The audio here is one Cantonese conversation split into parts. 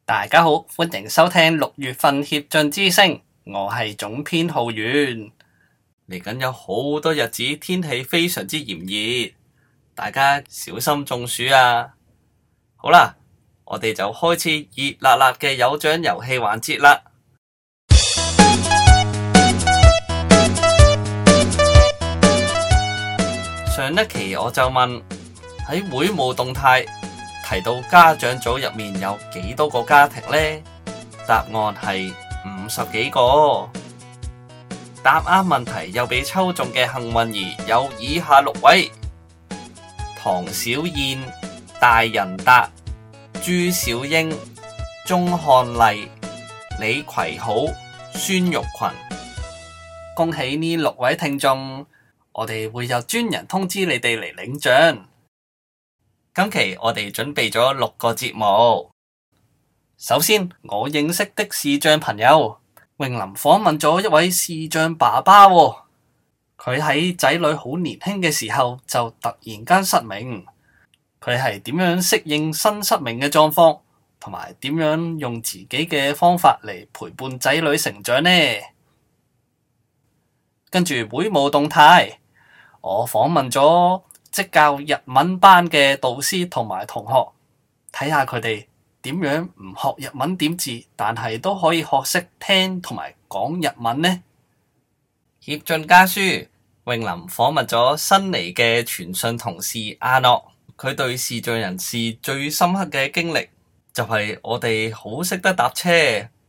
大家好，歡迎收聽6月份協進之聲，我係總編浩源。嚟緊有好多日子，天氣非常之炎熱，大家小心中暑啊！好啦，我哋就開始熱辣辣嘅有獎遊戲環節啦。上一期我就問喺會務動態提到家長組入面有幾多個家庭呢？答案係50幾個。答啱問題又被抽中嘅幸運兒有以下6位：唐小燕、大仁達、朱小英、鐘漢麗、李葵好、孫玉群。恭喜呢6位聽眾，我哋會有專人通知你哋嚟領獎。今期我哋準備咗6個節目。首先，我認識的視障朋友詠琳訪問咗一位視障爸爸喎。佢喺仔女好年輕嘅時候就突然間失明，佢係點樣適應新失明嘅狀況，同埋點樣用自己嘅方法嚟陪伴仔女成長呢？跟住會務動態，我訪問咗職教日文班嘅導師同埋同學，睇下佢哋點樣唔學日文點字，但係都可以學識聽同埋講日文呢？協進家書，詠琳訪問咗新嚟嘅傳訊同事阿諾，佢對視障人士最深刻嘅經歷就係我哋好識得搭車，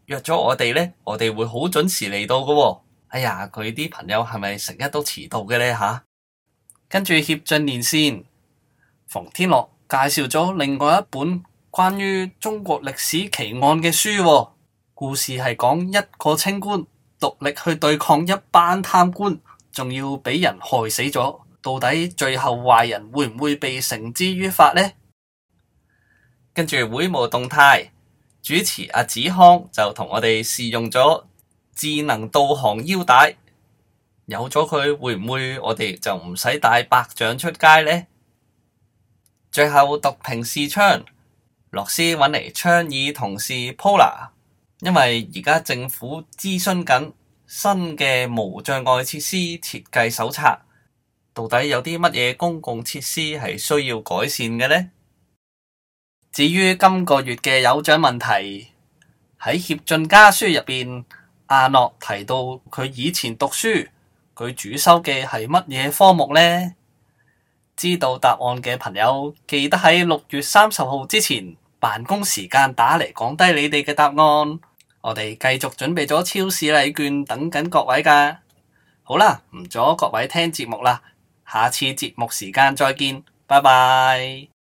約咗我哋呢，我哋會好準時嚟到㗎喎。哎呀，佢啲朋友係咪成日都遲到嘅呢吓？跟住協進連線，馮天樂介紹咗另外一本關於中國歷史奇案嘅書喎。故事係講一個清官獨力去對抗一班貪官，仲要俾人害死咗。到底最後壞人會唔會被繩之於法呢？跟住會務動態，主持阿子康就同我哋試用咗智能導航腰帶。有咗佢，會唔會我哋就唔使帶白杖出街呢？最後讀屏視窗，樂師揾嚟倡議同事 Pola， 因為而家政府諮詢緊新嘅無障礙設施設計手冊，到底有啲乜嘢公共設施係需要改善嘅呢？至於今個月嘅有獎問題，喺協進家書入邊，阿諾提到佢以前讀書，佢主修嘅係乜嘢科目呢？知道答案嘅朋友，記得喺6月30號之前辦公時間打嚟講低你哋嘅答案。我哋繼續準備咗超市禮券等緊各位㗎。好啦，唔阻各位聽節目啦，下次節目時間再見，拜拜。